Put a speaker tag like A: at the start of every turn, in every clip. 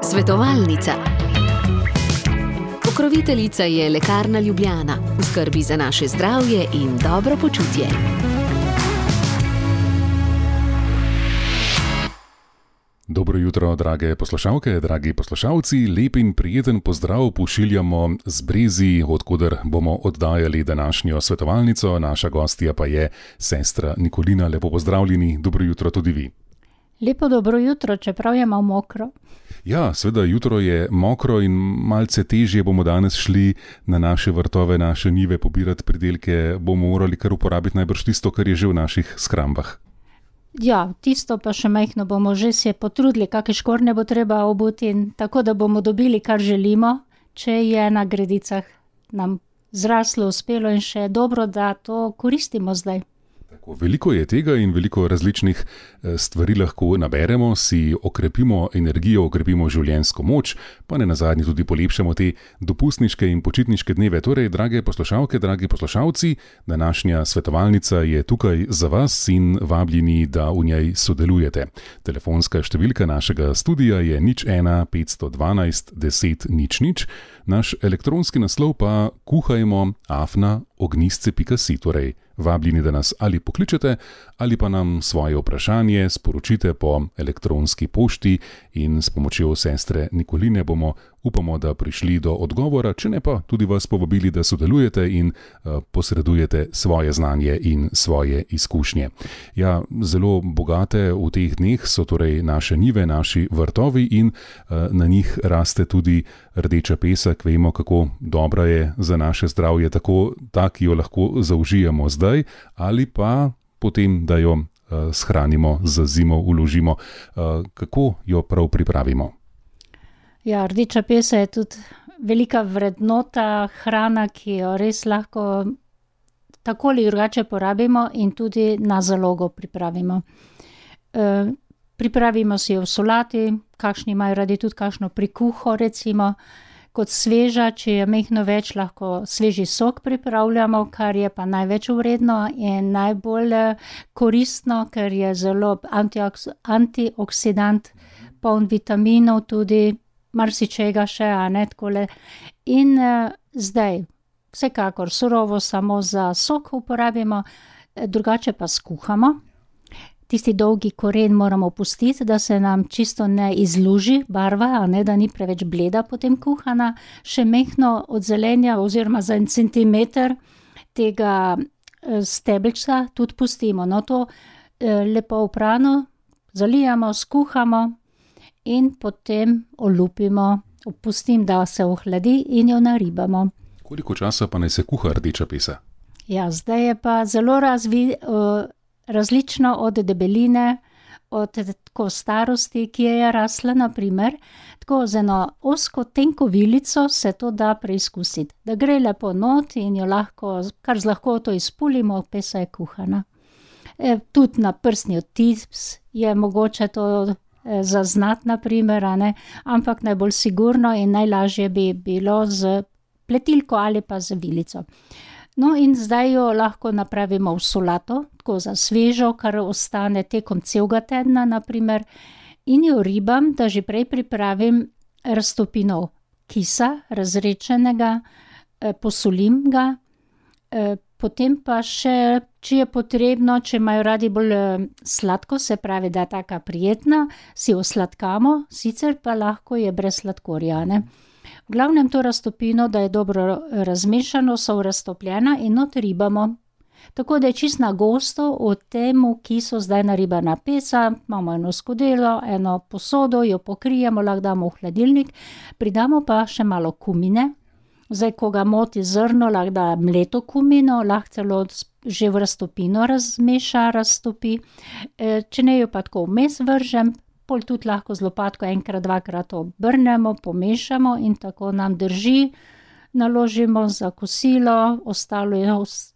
A: Svetovalnica. Pokroviteljica je Lekarna Ljubljana, v skrbi za naše zdravje in dobro počutje.
B: Dobro jutro, drage poslušalke, dragi poslušalci. Lep in prijeten pozdrav pošiljamo z Brezij, odkuder bomo oddajali današnjo svetovalnico. Naša gostja pa je sestra Nikolina. Lepo pozdravljeni, dobro jutro tudi vi.
C: Lepo dobro jutro, čeprav je malo mokro.
B: Ja, seveda, jutro je mokro in malce težje bomo danes šli na naše vrtove, naše njive pobirati pridelke. Bomo morali kar uporabiti najbrž tisto, kar je že v naših skrambah.
C: Ja, tisto pa še majhno bomo že se potrudili, kakšne škornje bo treba obuti, tako da bomo dobili, kar želimo, če je na gredicah nam zraslo, uspelo in še dobro, da to koristimo zdaj.
B: Tako, veliko je tega in veliko različnih stvari lahko naberemo, si okrepimo energijo, okrepimo življenjsko moč, pa ne nazadnje tudi polepšamo te dopustniške in počitniške dneve. Torej, drage poslušalke, dragi poslušalci, današnja svetovalnica je tukaj za vas in vabljeni, da v njej sodelujete. Telefonska številka našega studia je 01 512 10 00, naš elektronski naslov pa kuhajmo@ognisce.si, torej vabljeni, da nas ali pokličete ali pa nam svoje vprašanje sporočite po elektronski pošti in s pomočjo sestre Nikoline bomo, upamo, da prišli do odgovora, če ne pa tudi vas povabili, da sodelujete in posredujete svoje znanje in svoje izkušnje. Ja, zelo bogate v teh dneh so torej naše njive, naši vrtovi in na njih raste tudi rdeča pesek. Vemo, kako dobra je za naše zdravje, tako ta, ki jo lahko zaužijemo zdaj, ali pa potem, da jo shranimo za zimo, uložimo. Kako jo prav pripravimo?
C: Ja, rdeča pesa je tudi velika vrednota, hrana, ki jo res lahko tako ali drugače porabimo in tudi na zalogo pripravimo. Pripravimo si jo v solati, kakšni imajo radi tudi kakšno prikuho, recimo, kot sveža, če je majhno več, lahko sveži sok pripravljamo, kar je pa največ vredno in najbolj koristno, ker je zelo antioksidant, poln vitaminov, tudi marsičega še, a ne takole. In zdaj, vsekakor surovo samo za sok uporabimo, drugače pa skuhamo. Tisti dolgi koren moramo pustiti, da se nam čisto ne izluži barva, a ne, da ni preveč bleda potem kuhana. Še majhno od zelenja oziroma za 1 centimeter tega stebelčka tudi pustimo. No, to lepo oprano zalijamo, skuhamo in potem olupimo. Pustim, da se ohladi in jo naribamo.
B: Koliko časa pa naj se kuha rdeča pesa?
C: Ja, zdaj je pa zelo različno od debeline, od tako starosti, ki je rasla, naprimer. Tako z eno ozko tenko vilico se to da preizkusiti. Da gre lepo not in jo lahko, kar z lahkoto izpulimo, pesa je kuhana. Tudi na prstni odtis je mogoče to zaznati, naprimer, a ne? Ampak najbolj sigurno in najlažje bi bilo z pletilko ali pa z vilico. No, in zdaj jo lahko napravimo v solato, tako za svežo, kar ostane tekom celega tedna, naprimer, in jo ribam, da že prej pripravim raztopino kisa, razredčenega, posolim ga, potem pa še, če je potrebno, če imajo radi bolj sladko, se pravi, da je taka prijetna, si jo sladkamo, sicer pa lahko je brez sladkorja, ne. V glavnem to raztopino, da je dobro razmešano, so raztopljena in not ribamo. Tako da je čist na gosto od temu, ki so zdaj naribana pesa, imamo eno skodelo, eno posodo, jo pokrijemo, lahko damo v hladilnik, pridamo pa še malo kumine. Zdaj, ko ga moti zrno, lahko da mleto kumino, lahko celo že v raztopino raztopi. Če ne jo pa tako vmes vržem, pol tudi lahko z lopatko enkrat, dvakrat obrnemo, pomešamo in tako nam drži. Naložimo za kosilo, ostalo je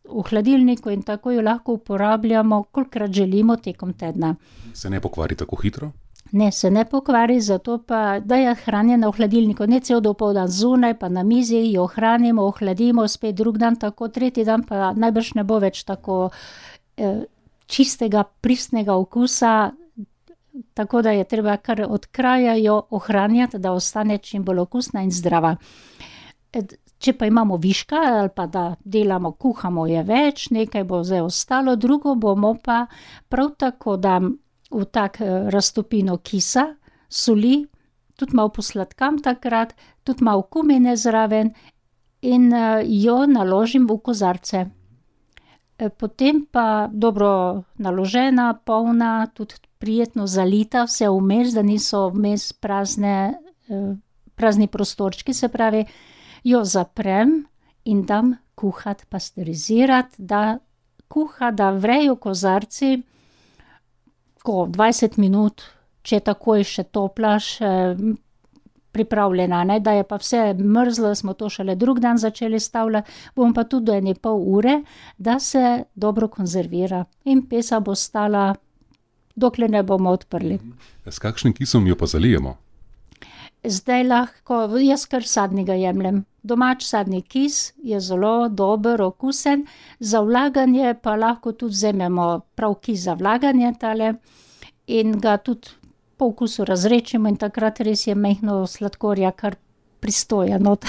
C: v hladilniku in tako jo lahko uporabljamo, kolikrat želimo tekom tedna.
B: Se ne pokvari tako hitro?
C: Ne, se ne pokvari, zato pa, da je hranjena v hladilniku, ne cel dopoldan zunaj, pa na mizi jo hranimo, ohladimo, spet drug dan, tako tretji dan pa najbrž ne bo več tako čistega, pristnega okusa, tako da je treba kar od kraja jo ohranjati, da ostane čim bolj okusna in zdrava. Če pa imamo viška ali pa da delamo, kuhamo je več, nekaj bo zdaj ostalo, drugo bomo pa prav tako dam v tak raztopino kisa, soli, tudi malo posladkam takrat, tudi malo kumine zraven in jo naložim v kozarce. Potem pa dobro naložena, polna, tudi prijetno zalita, vse vmes, da niso vmes prazni prostorčki, se pravi, jo zaprem in dam kuhati, pasteurizirati, da kuha, da vrejo kozarci, tako 20 minut, če takoj še topla, še pripravljena, ne, da je pa vse mrzlo, smo to šele drug dan začeli stavljati, bom pa tudi do 1,5 ure, da se dobro konzervira in pesa bo stala, dokler ne bomo odprli.
B: S kakšnim kisom jo pa zalijemo?
C: Zdaj lahko, jaz kar sadnega jemljem. Domač sadni kis je zelo dober, okusen, za vlaganje pa lahko tudi vzamemo prav kis za vlaganje tale in ga tudi po okusu razrečimo in takrat res je majhno sladkorja, kar pristoja not.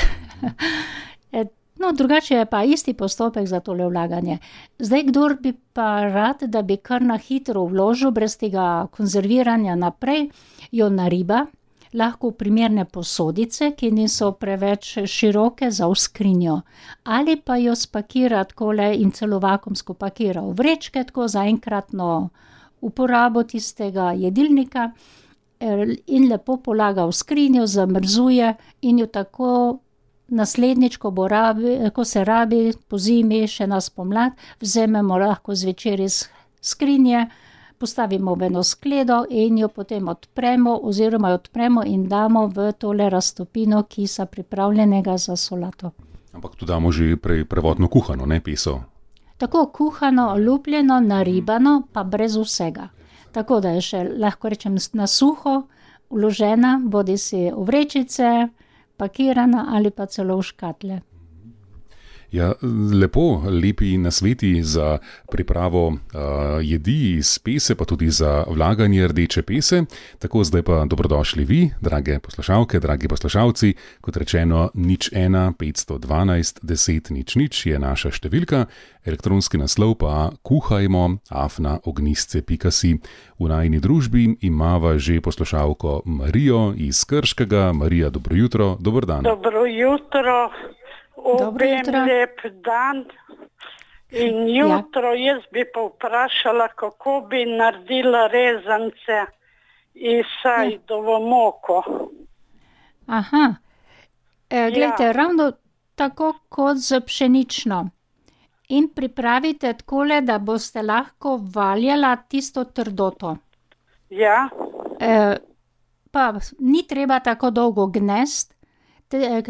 C: No, drugače je pa isti postopek za tole vlaganje. Zdaj, kdor bi pa rad, da bi kar na hitro vložil, brez tega konzerviranja naprej, jo nariba, lahko v primerne posodice, ki niso preveč široke za v skrinjo. Ali pa jo spakira takole in celo vakuumsko pakira v vrečke, tako za enkratno uporabo tistega jedilnika in lepo polaga v skrinjo, zamrzuje in jo tako naslednjič, ko se rabi, po zimi, še na spomlad, vzamemo lahko zvečer iz skrinje, postavimo v eno skledo in jo potem odpremo in damo v tole raztopino kisa pripravljenega za solato.
B: Ampak tu damo že prvotno kuhano, ne peso?
C: Tako kuhano, olupljeno, naribano, pa brez vsega. Tako da je še, lahko rečem, na suho vložena, bodisi v vrečice, pakirana ali pa celo v škatle.
B: Ja, lepo, lepi nasveti za pripravo jedi iz pese, pa tudi za vlaganje rdeče pese. Tako, zdaj pa dobrodošli vi, drage poslušalke, dragi poslušalci. Kot rečeno, 01 512 10 00 je naša številka, elektronski naslov pa kuhajmo@ognistce.si. V najini družbi imava že poslušalko Marijo iz Krškega. Marija, dobro jutro, dober dan.
D: Dobro jutro. Obem lep dan in jutro jaz bi pa vprašala, kako bi naredila rezance iz sajdovo moko.
C: Aha, glejte, ravno tako kot z pšenično. In pripravite takole, da boste lahko valjala tisto trdoto.
D: Ja.
C: Pa ni treba tako dolgo gnesti.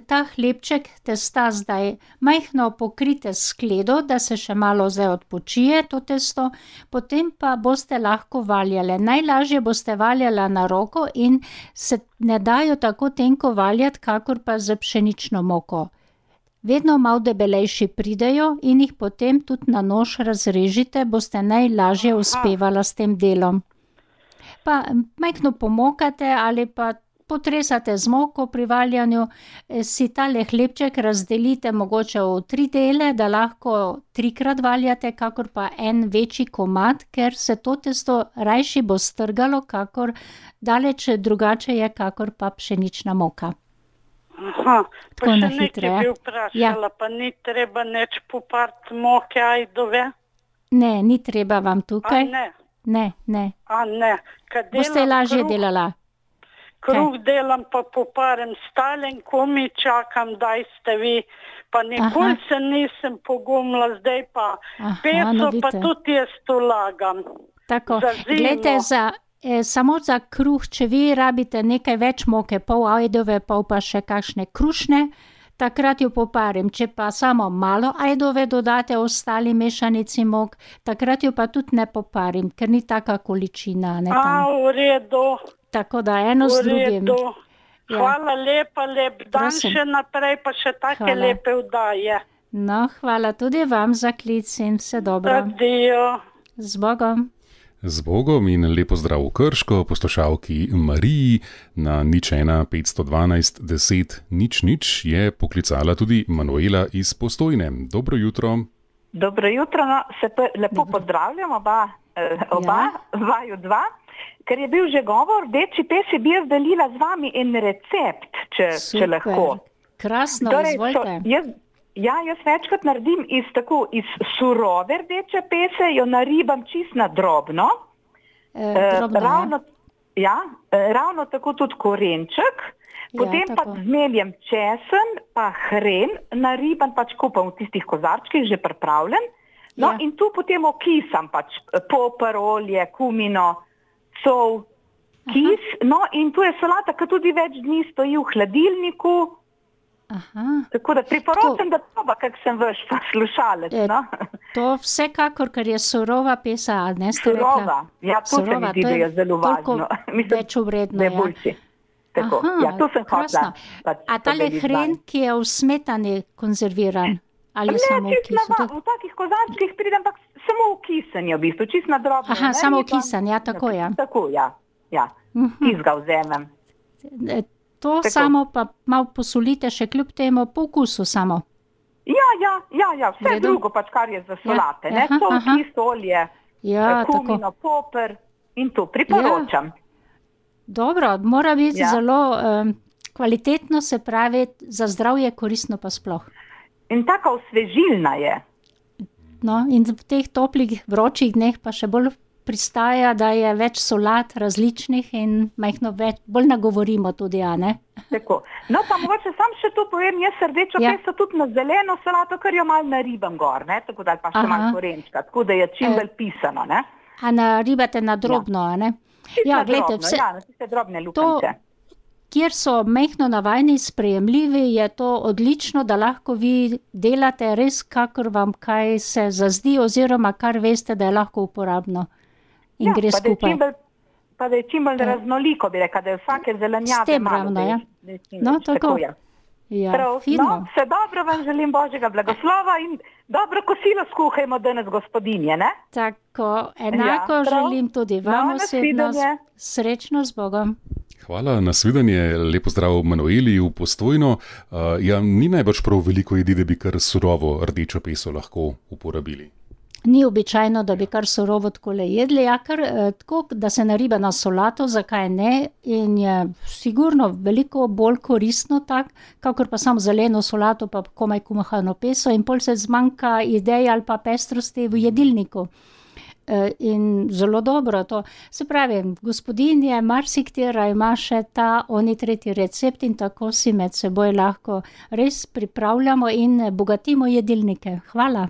C: Ta hlebček testa zdaj majhno pokrite s skledo, da se še malo zdaj odpočije to testo, potem pa boste lahko valjale. Najlažje boste valjala na roko in se ne dajo tako tenko valjati, kakor pa z pšenično moko. Vedno malo debelejši pridejo in jih potem tudi na nož razrežite, boste najlažje uspevala s tem delom. Pa majhno pomokate ali pa potresate z moko pri valjanju, si tale hlebček razdelite mogoče v 3 dele, da lahko 3-krat valjate, kakor pa en večji komad, ker se to testo rajši bo strgalo, kakor daleč drugače je, kakor pa pšenična moka.
D: Aha, pa še nekaj bi vprašala, pa ni treba neč popariti moke ajdove?
C: Ne, ni treba vam tukaj.
D: A ne?
C: Ne.
D: A ne.
C: Boste lažje delala.
D: Kruh delam pa poparem stalen, komi čakam, daj ste vi, pa nikoli se nisem pogumila, zdaj pa peso pa tudi jaz to lagam.
C: Tako, glejte, samo za kruh, če vi rabite nekaj več moke, pol ajdove, pol pa še kakšne krušne, takrat jo poparim. Če pa samo malo ajdove dodate ostali mešanici mok, takrat jo pa tudi ne poparim, ker ni taka količina. Ne,
D: v redu.
C: Tako da eno z drugim.
D: Hvala lepa, lep dan še naprej, pa še take lepe vdaje.
C: No, hvala tudi vam za klic in vse dobro.
D: Adijo.
C: Z Bogom.
B: Z Bogom in lepo zdrav v Krško, poslušalki Mariji na 01 512 10 00 je poklicala tudi Manuela iz Postojne. Dobro jutro.
E: Dobro jutro, se lepo pozdravljam oba vaju dva. Ker je bil že govor, rdeči pesi bi jaz delila z vami en recept, če lahko.
C: Krasno, izvolite.
E: Jaz večkrat naredim iz surove rdeče pese, jo naribam čist na drobno. Ravno tako tudi korenček, potem pa zmeljem česen, pa hren, naribam kupam v tistih kozarčkih, že pripravljen. In tu potem okisam poper, olje, kumino, sol, kis. In tu je solata, ki tudi več dni stoji v hladilniku. Tako da priporočam, da proba, kak sem vaš poslušalec.
C: To vsekakor, ker je surova pesa, ne ste rekla?
E: Surova, to se mi zdi, da je zelo važno.
C: Več vredno,
E: Tako, to sem hotela.
C: A tale hren, ki je v smetani konzerviran? Ali je samo v kisu?
E: V takih kozarčkih pridem, ampak samo v kisen je v bistvu, čist na drobno.
C: Samo v kisen, tako je.
E: Tako, Tis ga vzemem.
C: To samo pa malo posolite še kljub temu po okusu samo.
E: Vse drugo kar je za solate. Sol, kis, olje, kumino, poper in to priporočam.
C: Dobro, mora biti zelo kvalitetno, se pravi, za zdravje koristno pa sploh.
E: In tako osvežilna je.
C: In v teh toplih, vročih dneh pa še bolj pristaja, da je več solat različnih in majhno bolj nagovorimo tudi, ne?
E: Tako. Pa mogoče sam še tu povem, jaz rdečo peso tudi na zeleno solato, ker jo malo naribam gor, tako da pa še malo korenčka, tako da je čim bolj pisano, ne?
C: A naribate na drobno, ne?
E: Gledajte, na tiste drobne lukance.
C: Kjer so majhno navajni sprejemljivi, je to odlično, da lahko vi delate res, kakor vam kaj se zazdi, oziroma kar veste, da je lahko uporabno. In gre skupaj.
E: Pa da je čim bolj raznoliko, bi rekla, da je vsake zelenjave malo.
C: Tako. Fino.
E: Vse dobro vam želim, Božjega blagoslova in dobro kosilo skuhajmo danes, gospodinje, ne?
C: Tako, enako želim tudi vam osebno. Srečno z Bogom.
B: Hvala, nasvidenje, lepo zdrav Manueli v Postojno. Ni najbrž prav veliko jedi, da bi kar surovo rdečo peso lahko uporabili.
C: Ni običajno, da bi kar surovo takole jedli, kar tako, da se nariba na solato, zakaj ne, in je sigurno veliko bolj koristno tak, kakor pa samo zeleno solato, pa komaj kumahano peso in pol se zmanjka idej ali pa pestrosti v jedilniku. In zelo dobro to. Se pravi, gospodinje, marsiktera ima še oni tretji recept in tako si med seboj lahko res pripravljamo in bogatimo jedilnike. Hvala.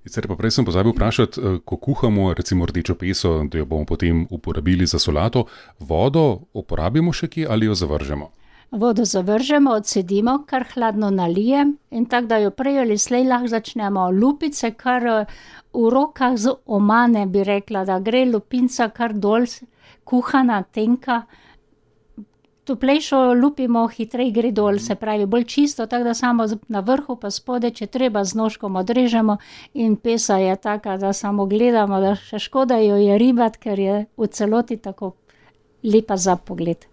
B: Sicer pa prej sem pozabil vprašati, ko kuhamo recimo rdečo peso, da jo bomo potem uporabili za solato, vodo uporabimo še kje ali jo zavržemo?
C: Vodo zavržemo, odcedimo, kar hladno nalijem in tako, da jo prej ali slej lahko začnemo lupice, kar v rokah z omane bi rekla, da gre lupinca kar dol, kuhana, tenka. Toplejšo lupimo, hitrej gre dol, se pravi bolj čisto, tako da samo na vrhu pa spode, če treba z nožkom odrežemo in pesa je taka, da samo gledamo, da še škoda jo je ribati, ker je v celoti tako lepa za pogled.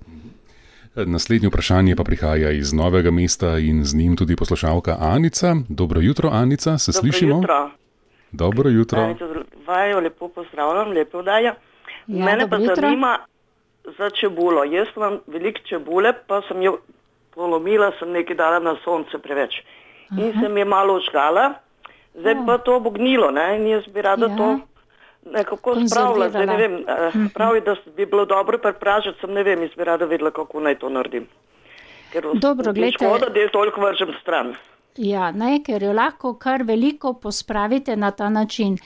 B: Naslednje vprašanje pa prihaja iz Novega mesta in z njim tudi poslušalka Anica. Dobro jutro, Anica, se slišimo? Dobro jutro.
F: Vaju lepo pozdravljam, lepo vdaja. Mene pa zanima za čebulo. Jaz imam veliko čebule, pa sem jo polomila, sem nekaj dala na sonce preveč. In sem je malo ožgala, zdaj pa to bo gnilo, ne? In jaz bi rada to nekako spravila. Zdaj ne vem, pravi, da bi bilo dobro prepražiti, sem ne vem, jaz bi rada vedela, kako naj to naredim. Ker škoda, da je toliko vržem stran.
C: Ker jo lahko kar veliko pospravite na ta način.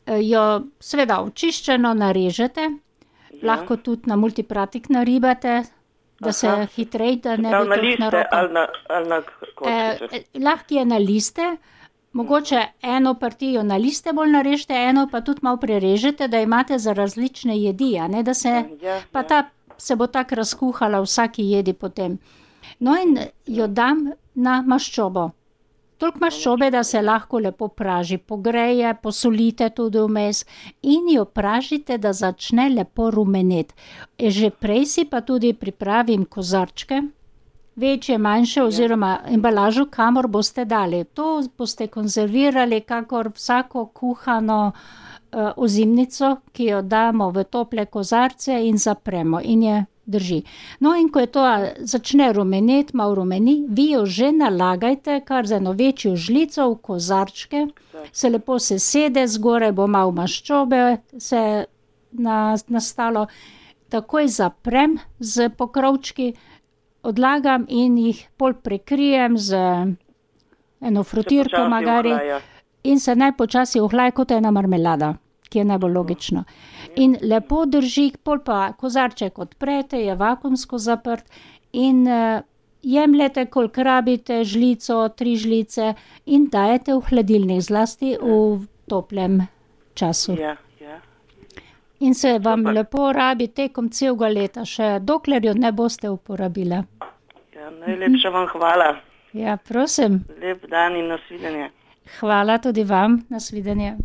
C: Jo seveda očiščeno narežete, lahko tudi na multipratik naribate, da se hitrej, da ne bi toliko na roko.
F: Ali na kočice?
C: Lahko je na liste, mogoče eno partijo na liste bolj narežete, eno pa tudi malo prerežete, da imate za različne jedi, ne, da se, pa ta se bo tako razkuhala vsaki jedi potem. No in jo dam na maščobo. Toliko maščobe, da se lahko lepo praži, pogreje, posolite tudi vmes in jo pražite, da začne lepo rumeneti. Že prej si pa tudi pripravim kozarčke, večje, manjše oziroma embalažo, kamor boste dali. To boste konzervirali kakor vsako kuhano ozimnico, ki jo damo v tople kozarce in zapremo in je drži. No in ko je to začne rumeneti, malo rumeni, vi jo že nalagajte kar za eno večjo žlico v kozarčke, se lepo sesede, zgoraj bo malo maščobe se nastalo, takoj zaprem z pokrovčki, odlagam in jih pol prekrijem z eno frutirko magari in se najpočasi ohlaja kot ena marmelada, ki je najbolj logično. In lepo drži, pol pa kozarček odprete, je vakuumsko zaprt in jemljete, koliko rabite, žlico, 3 žlice in dajete v hladilnik, zlasti v toplem času. In se vam lepo rabi tekom celega leta, še dokler jo ne boste uporabili.
F: Najlepša vam hvala.
C: Ja, prosim.
F: Lep dan in nasvidenje.
C: Hvala tudi vam, nasvidenje.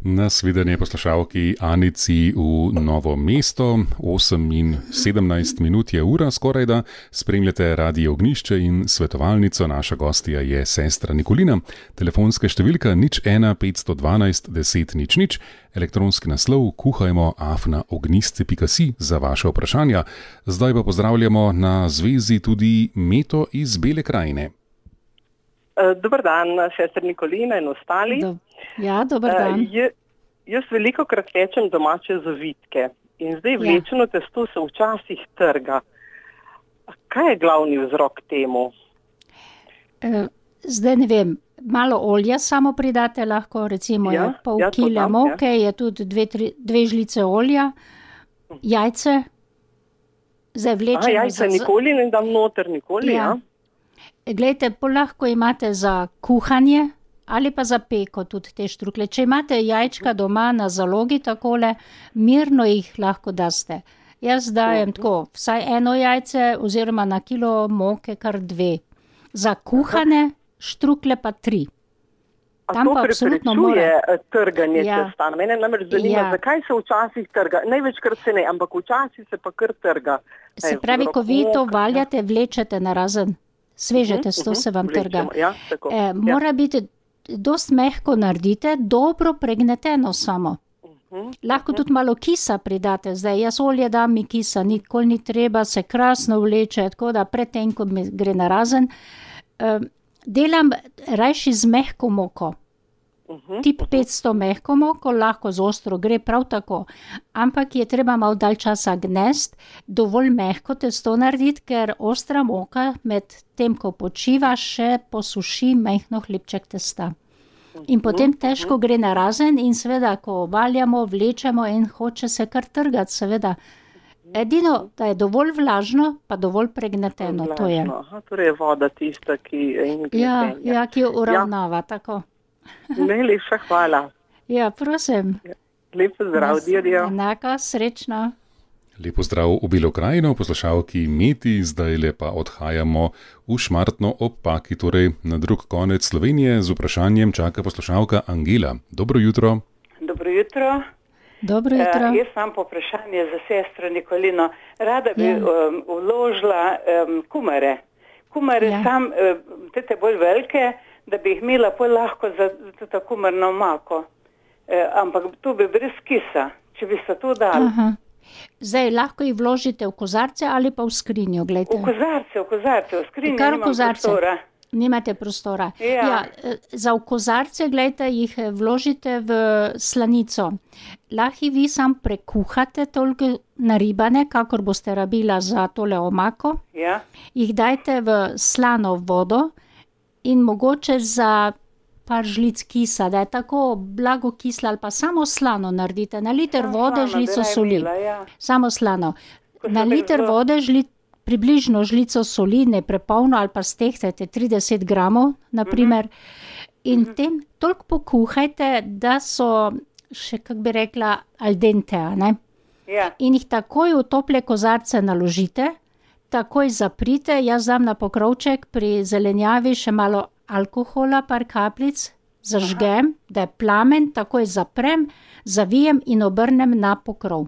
B: Nasvidenje poslušalki Anici v Novo mesto, 8:17 je ura skorajda, spremljate Radio Ognjišče in svetovalnico, naša gostja je sestra Nikolina, telefonska številka 01 512 10 00, elektronski naslov kuhajmo@ognjisce.si za vaše vprašanja. Zdaj pa pozdravljamo na zvezi tudi Meto iz Bele krajine.
G: Dobar dan, sestra Nikolina in ostali.
C: Ja, dober dan.
G: Jaz veliko krat pečem domače zavitke in zdaj vlečeno testo se včasih trga. Kaj je glavni vzrok temu?
C: Zdaj ne vem, malo olja samo pridate lahko, recimo je pol kile moke, je tudi 2 žlice olja, jajce. Zdaj vlečeno.
G: Jajce nikoli ne dam noter, nikoli,
C: Glejte, lahko imate za kuhanje ali pa za peko tudi te štrukle. Če imate jajčka doma na zalogi takole, mirno jih lahko daste. Jaz dajem tako, vsaj 1 jajce oziroma na kilo moke kar 2. Za kuhane štrukle pa 3.
G: Tam pa absolutno mora trganje testa. Mene namreč zanima, zakaj se včasih trga. Največkrat se ne, ampak včasih se pa kar trga.
C: Se pravi, ko vi to valjate, vlečete narazen. Sveže testo se vam trga. Mora biti dost mehko naredite, dobro pregneteno samo. Lahko tudi malo kisa pridate. Zdaj, jaz olje dam, mi kisa nikoli ni treba, se krasno vleče, tako da predtem, ko mi gre narazen. Delam rajši z mehko moko. Tip 500 mehko moko, lahko z ostro gre prav tako. Ampak je treba malo dalj časa gnest, dovolj mehko testo narediti, ker ostra moka med tem, ko počiva, še posuši mehko hlebček testa. In potem težko gre narazen in seveda, ko valjamo, vlečemo in hoče se kar trgati, seveda. Edino, da je dovolj vlažno, pa dovolj pregneteno, to je.
G: Torej je voda tista, ki
C: ki jo uravnava, tako.
G: Najlepša hvala.
C: Ja, prosim.
G: Lep pozdrav, dirjo.
C: Enako, srečno.
B: Lep pozdrav v Belo krajino, poslušalki Meti, zdaj lepa odhajamo v Šmartno ob Paki, torej na drug konec Slovenije. Z vprašanjem čaka poslušalka Angela. Dobro jutro.
H: Dobro jutro.
C: Dobro jutro.
H: Jaz imam vprašanje za sestro Nikolino. Rada bi vložila kumare. Kumare sam, te bolj velike, da bi jih imela pol lahko za to kumarno omako. Ampak to bi brez kisa, če bi se to dali.
C: Zdaj, lahko jih vložite v kozarce ali pa v skrinjo, gledajte.
H: V kozarce, v skrinjo nimam prostora.
C: Nimate prostora. Za v kozarce, gledajte, jih vložite v slanico. Lahko vi sam prekuhate toliko naribane, kakor boste rabila za tole omako. Jih dajte v slano vodo in mogoče za par žlic kisa, da je tako blago kisla ali pa samo slano naredite. Na liter vode žlico soli. Samo slano. Na liter vode približno žlico soli, ne prepolno, ali pa stehtajte 30 gramov, naprimer. In tem toliko pokuhajte, da so še, kak bi rekla, al dente, ne? In jih takoj v tople kozarce naložite, takoj zaprite, jaz dam na pokrovček pri zelenjavi še malo alkohola, par kapljic, zažgem, da je plamen, takoj zaprem, zavijem in obrnem na pokrov.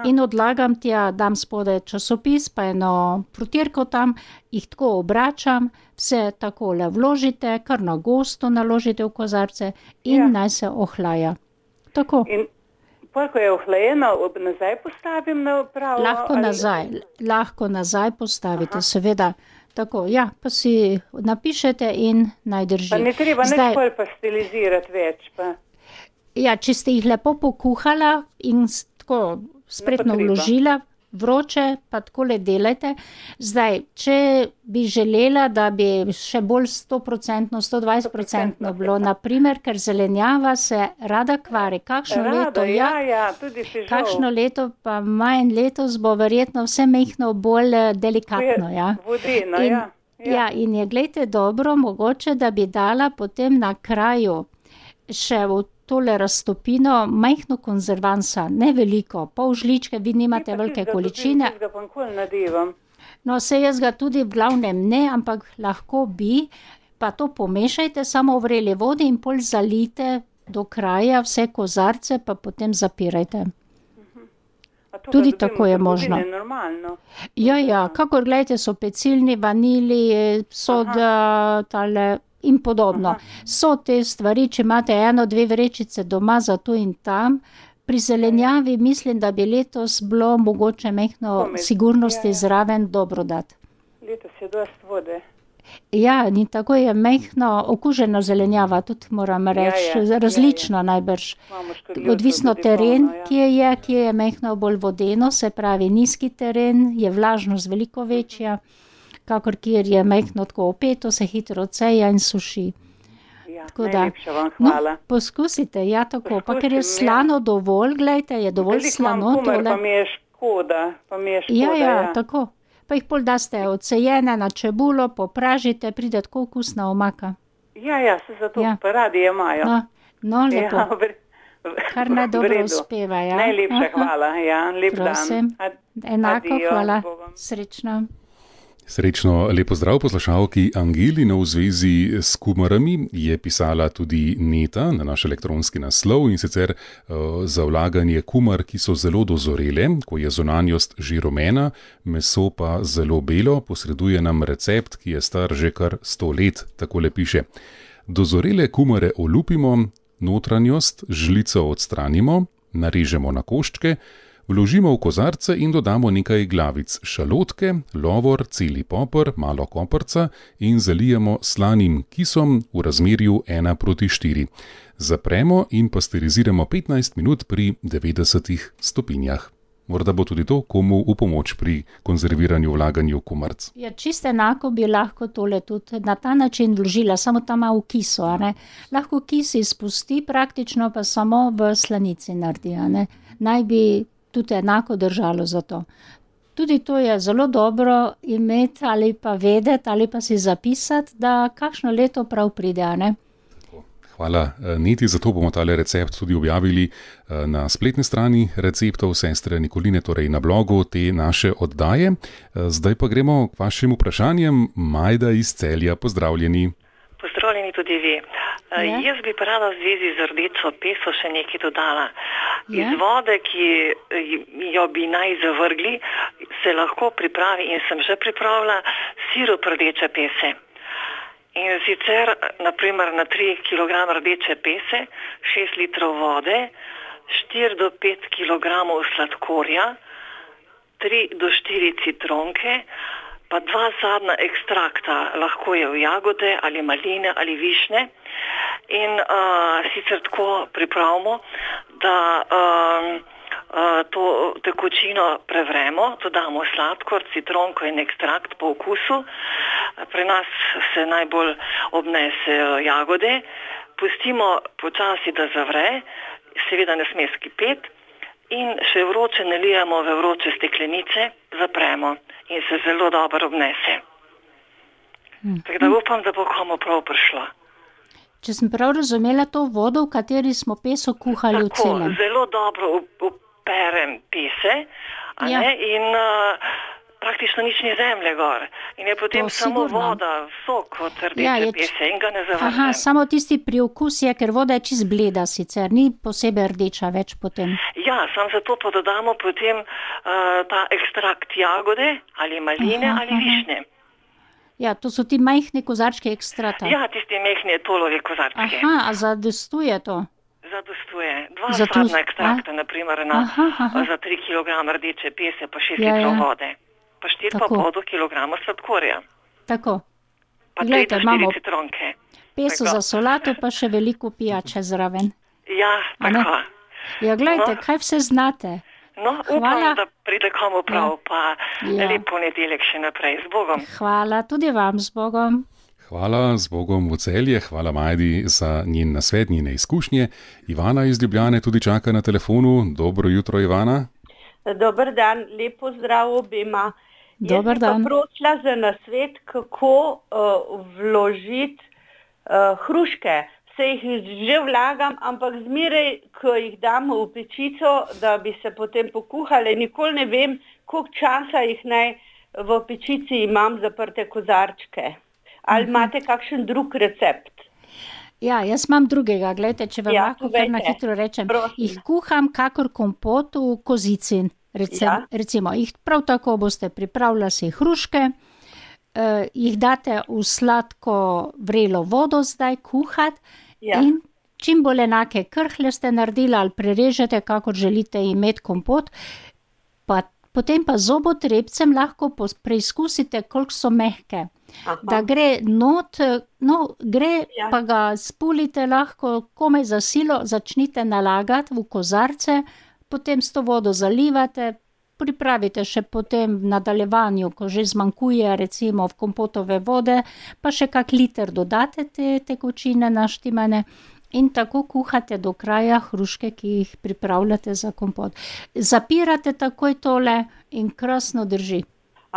C: In odlagam tja, dam spodaj časopis, pa eno prutierko tam, jih tako obračam, vse takole vložite, kar na gosto naložite v kozarce in naj se ohlaja. Tako.
H: In ko je ohlajeno, nazaj postavim na pravo?
C: Lahko nazaj postavite, seveda. Tako, ja, pa si napišete in naj drži.
H: Pa ne treba nekoli pastelizirati več, pa?
C: Ja, če ste jih lepo pokuhala in tako spretno vložila, vroče, pa takole delajte. Zdaj, če bi želela, da bi še bolj 100%, 120% bilo, naprimer, ker zelenjava se rada kvari. Kakšno leto, pa manj letos bo verjetno vse mehno bolj delikatno.
H: Vodeno,
C: Ja, in je, glejte, dobro, mogoče, da bi dala potem na kraju še v tole raztopino majhno konzervansa, ne veliko, pol žličke, vi nimate velike količine. No, saj jaz ga tudi v glavnem ne, ampak lahko bi, pa to pomešajte samo v vreli vodi in pol zalijte do kraja vse kozarce, pa potem zapirajte. Tudi tako je možno. Ja, kakor gledajte, so pecilni, vanili, soda, tale in podobno. So te stvari, če imate 1-2 vrečice doma za to in tam. Pri zelenjavi mislim, da bi letos bilo mogoče mehno sigurnosti zraven dobro dati.
H: Letos je dost vode.
C: Ja, in tako je mehno okuženo zelenjava, tudi moram reči, različno najbrž. Odvisno teren, kje je mehno bolj vodeno, se pravi nizki teren, je vlažnost veliko večja. Kakor kjer je mehno tako opeto, se hitro ceja in suši.
H: Najlepša vam hvala.
C: No, poskusite, ja tako, pa ker je slano dovolj, gledajte, je dovolj slano.
H: Veliko imam kumer, pa mi je škoda.
C: Ja, tako. Pa jih pol daste odsejene na čebulo, popražite, pride tako okusna omaka.
H: Ja, se zato pa radi imajo.
C: No, lepo. Kar naj dobro uspeva, ja.
H: Najlepša hvala, lep dan.
C: Prosim, enako, hvala, srečno.
B: Srečno, lepo zdrav poslušalki Angeli. V zvezi s kumarami je pisala tudi Neta na naš elektronski naslov, in sicer za vlaganje kumar, ki so zelo dozorele, ko je zunanjost že rumena, meso pa zelo belo, posreduje nam recept, ki je star že kar 100 let, takole piše. Dozorele kumare olupimo, notranjost žlico odstranimo, narežemo na koščke, vložimo v kozarce in dodamo nekaj glavic šalotke, lovor, celi poper, malo koprca in zalijemo slanim kisom v razmerju 1:4. Zapremo in pasteriziramo 15 minut pri 90 stopinjah. Morda bo tudi to komu v pomoč pri konzerviranju vlaganju kumarc.
C: Ja, čisto enako bi lahko tole tudi na ta način vložila, samo tam malo v kisu, Lahko kis izpusti, praktično pa samo v slanici naredi, Naj bi tudi enako držalo za to. Tudi to je zelo dobro imeti ali pa vedeti ali pa si zapisati, da kakšno leto prav pride,
B: Hvala, Neti, zato bomo tale recept tudi objavili na spletni strani receptov sestre Nikoline, torej na blogu te naše oddaje. Zdaj pa gremo k vašim vprašanjem. Majda iz Celja, pozdravljeni.
I: Pozdravljeni tudi vi. Jaz bi pa rada v zvezi z rdečo peso še nekaj dodala. Iz vode, ki jo bi naj zavrgli, se lahko pripravi, in sem že pripravila, sirup rdeče pese. In sicer, naprimer, na 3 kg rdeče pese, 6 litrov vode, 4 do 5 kg sladkorja, 3 do 4 citronke, pa 2 sadna ekstrakta, lahko je v jagode ali maline ali višnje. In sicer tako pripravimo, da to tekočino prevremo, dodamo sladkor, citronko in ekstrakt po okusu. Pri nas se najbolj obnesejo jagode. Pustimo počasi, da zavre, seveda ne sme skipeti, in še vroče nalijemo v vroče steklenice, zapremo in se zelo dobro obnese. Tako da upam, da bo komu prav prišlo.
C: Če sem prav razumela, to vodo, v kateri smo peso kuhali v celem.
I: Zelo dobro operem pese, in praktično nič ni zemlje gor. In je potem samo voda, sok od rdeče pese in ga ne zavrnem.
C: Aha, samo tisti priokus je, ker voda je čist bleda sicer, ni posebej rdeča več potem.
I: Ja, samo zato pa dodamo potem ta ekstrakt jagode ali maline ali višnje.
C: Ja, to so ti majhni kozarčki ekstrata.
I: Ja, tisti majhni tolovi kozarčki.
C: Aha, a zadostuje to?
I: Zadostuje. 2 sadna ekstrakta, naprimer, za 3 kg rdeče pese, pa 6 litrov vode. Pa 4,5 kg sladkorja.
C: Tako.
I: Pa 3 do 4 citronke.
C: Peso za solato, pa še veliko pijače zraven.
I: Ja, tako.
C: Ja, gledajte, kaj vse znate.
I: No, upam, da pride komu prav, pa lep ponedeljek še naprej. Z Bogom.
C: Hvala, tudi vam z Bogom.
B: Hvala, z Bogom v Celje, hvala Majdi za njen nasvet, njene izkušnje. Ivana iz Ljubljane tudi čaka na telefonu. Dobro jutro, Ivana.
J: Dober dan, lepo zdrav obema.
C: Dober dan.
J: Jaz sem pa prosila za nasvet, kako vložiti hruške. Se jih že vlagam, ampak zmeraj, ko jih dam v pečico, da bi se potem pokuhale, nikoli ne vem, koliko časa jih naj v pečici imam zaprte kozarčke. Ali imate kakšen drug recept?
C: Ja, jaz imam drugega. Glejte, če vam lahko kar na hitro rečem. Jih kuham kakor kompot v kozici. Recimo, jih prav tako boste pripravljali si hruške, jih date v sladko vrelo vodo zdaj kuhati in čim bolj enake krhlje ste naredili ali prerežete, kakor želite imeti kompot, potem pa zobotrebcem lahko preizkusite, koliko so mehke. Da gre not, pa ga spulite lahko komaj za silo, začnite nalagati v kozarce, potem s to vodo zalivate, pripravite še potem v nadaljevanju, ko že zmanjkuje recimo v kompotove vode, pa še kak liter dodate te tekočine naštimane in tako kuhate do kraja hruške, ki jih pripravljate za kompot. Zapirate takoj tole in krasno drži.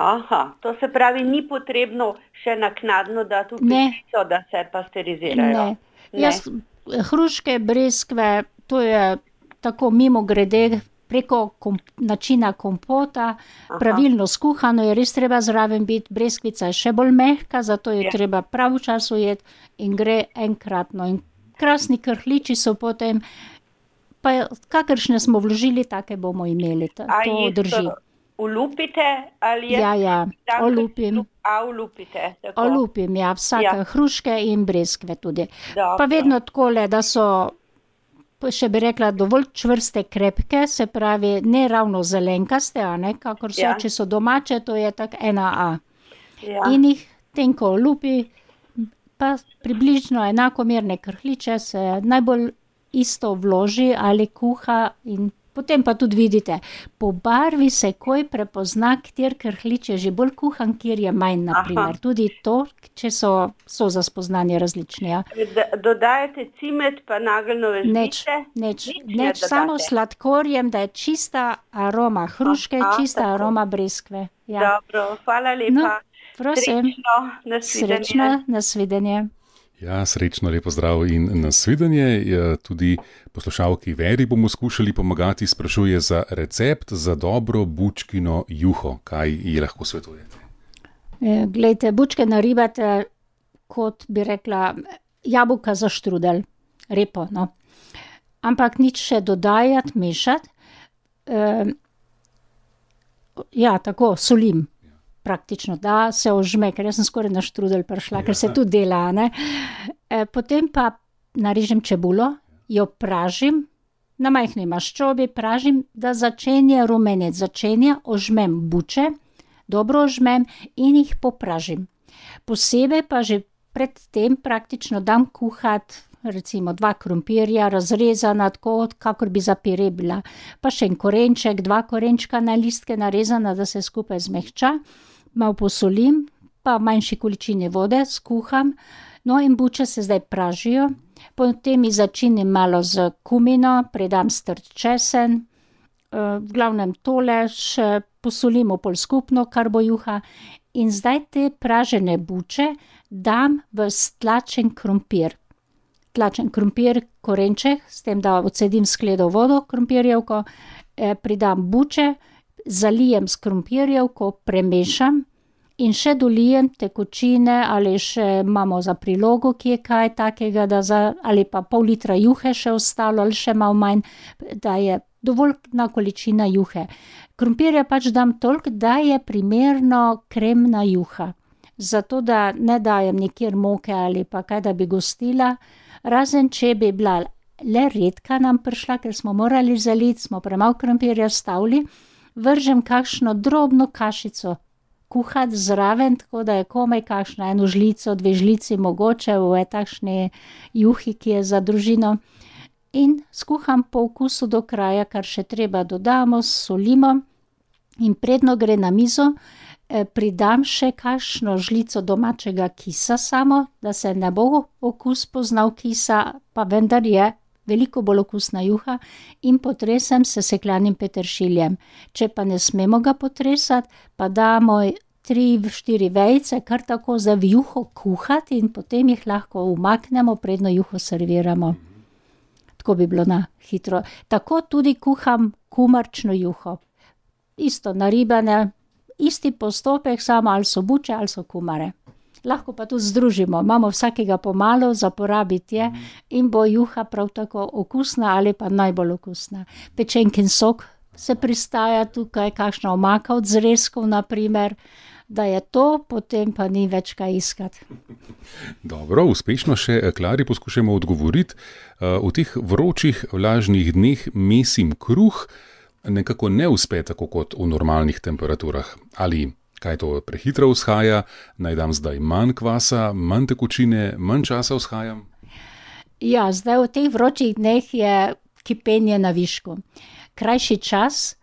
J: Aha, to se pravi, ni potrebno še naknadno dati v pečico, da se pasterizirajo.
C: Ne. Hruške, breskve, to je tako mimo grede preko načina kompota, pravilno skuhano je res treba zraven biti, breskvica je še bolj mehka, zato je treba prav čas ujeti in gre enkratno. In krasni krhliči so potem, pa kakršne smo vložili, take bomo imeli, to drži.
J: Olupite ali je?
C: Ja, olupim.
J: Olupite, tako.
C: Olupim, ja, vsake hruške in breskve tudi. Pa vedno takole, da so, še bi rekla, dovolj čvrste, krepke, se pravi, ne ravno zelenkaste, kakor so, če so domače, to je tak 1A. In jih tenko olupi, pa približno enakomerne krhliče se najbolj isto vloži ali kuha in potem pa tudi vidite, po barvi se koj prepozna, kjer krhlič je že bolj kuhan, kjer je manj, naprimer. Tudi to, če so za spoznanje različni. Ja.
J: Dodajate cimet pa nageljnove žlice?
C: Neč, samo sladkorjem, da je čista aroma hruške, čista aroma breskve.
J: Ja. Dobro, hvala lepa.
C: No, prosim.
J: Srečno,
C: nasvidenje.
B: Ja, srečno, lepo zdrav in nasvidenje. Tudi poslušalki Veri bomo skušali pomagati, sprašuje za recept za dobro bučkino juho. Kaj ji lahko svetujete?
C: Glejte, bučke naribate, kot bi rekla, jabolka za štrudel, repo, no. Ampak nič še dodajati, mešati. Ja, tako, solim. Praktično, da se ožme, ker jaz sem skoraj na štrudel prišla, ker se tudi dela, ne. Potem pa narežem čebulo, jo pražim, na majhni maščobi pražim, da začenja rumeneti, ožmem buče, dobro ožmem in jih popražim. Posebej pa že pred tem praktično dam kuhati recimo 2 krompirja, razrezana tako, kakor bi za pire bila, pa še en korenček, 2 korenčka na listke narezana, da se skupaj zmehča. Malo posolim, pa v manjši količini vode skuham, no in buče se zdaj pražijo, potem jih začinim malo z kumino, predam strt česen, v glavnem tole še posolim pol skupno, kar bo juha, in zdaj te pražene buče dam v stlačen krompir. Tlačen krompir, korenček, s tem, da odsedim skledo vodo krompirjevko, pridam buče, zalijem s krompirjevko, premešam in še dolijem tekočine ali še imamo za prilogo, ki je kaj takega, ali pa pol litra juhe še ostalo ali še malo manj, da je dovoljna količina juhe. Krompirja pač dam toliko, da je primerno kremna juha. Zato, da ne dajem nikjer moke ali pa kaj, da bi gostila, razen če bi bila le redka nam prišla, ker smo morali zaliti, smo premalo krompirja stavili, vržem kakšno drobno kašico kuhati zraven, tako da je komaj kakšna eno žlico, 2 žlici mogoče v takšni juhi, ki je za družino. In skuham po okusu do kraja, kar še treba dodamo, solimo in predno gre na mizo, pridam še kakšno žlico domačega kisa samo, da se ne bo okus poznal kisa, pa vendar je veliko bolj okusna juha in potresem s sesekljanim peteršiljem. Če pa ne smemo ga potresati, pa damo 3-4 vejice kar tako za juho kuhati in potem jih lahko umaknemo, predno juho serviramo. Tako bi bilo na hitro. Tako tudi kuham kumarčno juho. Isto naribane, isti postopek, samo ali so buče ali so kumare. Lahko pa tudi združimo, imamo vsakega pomalo za porabiti je in bo juha prav tako okusna ali pa najbolj okusna. Pečenkin sok se pristaja tukaj, kakšna omaka od zrezkov naprimer, da je to, potem pa ni več kaj iskati.
B: Dobro, uspešno še Klari poskušamo odgovoriti. V teh vročih, vlažnih dneh mesim kruh, nekako ne uspe tako kot v normalnih temperaturah. Ali kaj to prehitro vzhaja, naj dam zdaj manj kvasa, manj tekočine, manj časa vzhajam?
C: Ja, zdaj v teh vročih dneh je kipenje na višku. Krajši čas,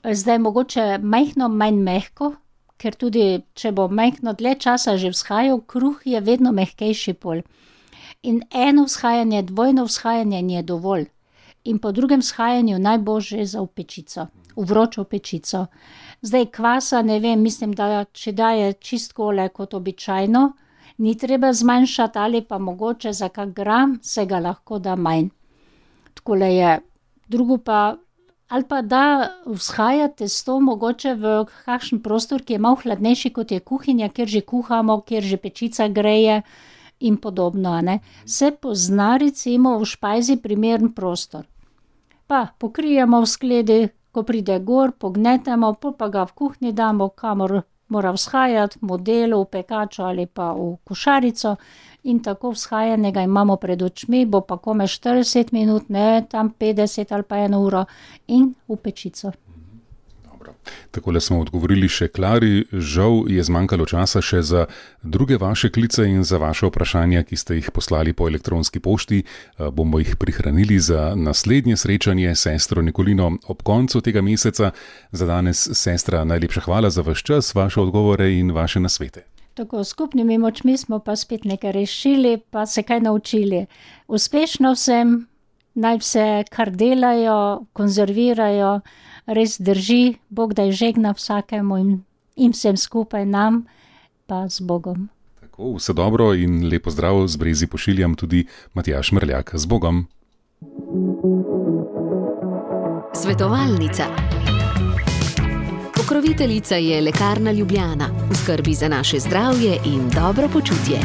C: zdaj mogoče majhno manj mehko, ker tudi, če bo majhno dlje časa že vzhajal, kruh je vedno mehkejši pol. In eno vzhajanje, dvojno vzhajanje ni dovolj. In po drugem vzhajanju najboljše za v pečico, v vročo pečico. Zdaj kvasa, ne vem, mislim, da če daje čistkole kot običajno, ni treba zmanjšati ali pa mogoče za kak gram se ga lahko da manj. Takole je. Drugo pa, ali pa da vzhaja testo mogoče v kakšen prostor, ki je malo hladnejši kot je kuhinja, kjer že kuhamo, kjer že pečica greje in podobno, ne. Se pozna recimo v špajzi primeren prostor. Pa pokrijemo v skledi, ko pride gor, pognetemo, pa ga v kuhinji damo, kamor mora vzhajati, v modelu, v pekačo ali pa v košarico in tako vzhajanega imamo pred očmi, bo pa kome 40 minut, ne tam 50 ali pa 1 uro in v pečico.
B: Takole smo odgovorili še Klari, žal je zmanjkalo časa še za druge vaše klice in za vaše vprašanja, ki ste jih poslali po elektronski pošti. Bomo jih prihranili za naslednje srečanje s sestro Nikolino ob koncu tega meseca. Za danes, sestra, najlepša hvala za vaš čas, vaše odgovore in vaše nasvete.
C: Tako, skupnimi močmi smo pa spet nekaj rešili, pa se kaj naučili. Uspešno vsem, naj vse, kar delajo, konzervirajo, res drži, Bog da je žegna vsakemu in vsem skupaj nam, pa z Bogom.
B: Tako, vse dobro in lepo zdrav z Brezi pošiljam tudi Matjaž Mrljak. Z Bogom.
A: Svetovalnica. Pokroviteljica je Lekarna Ljubljana. V skrbi za naše zdravje in dobro počutje.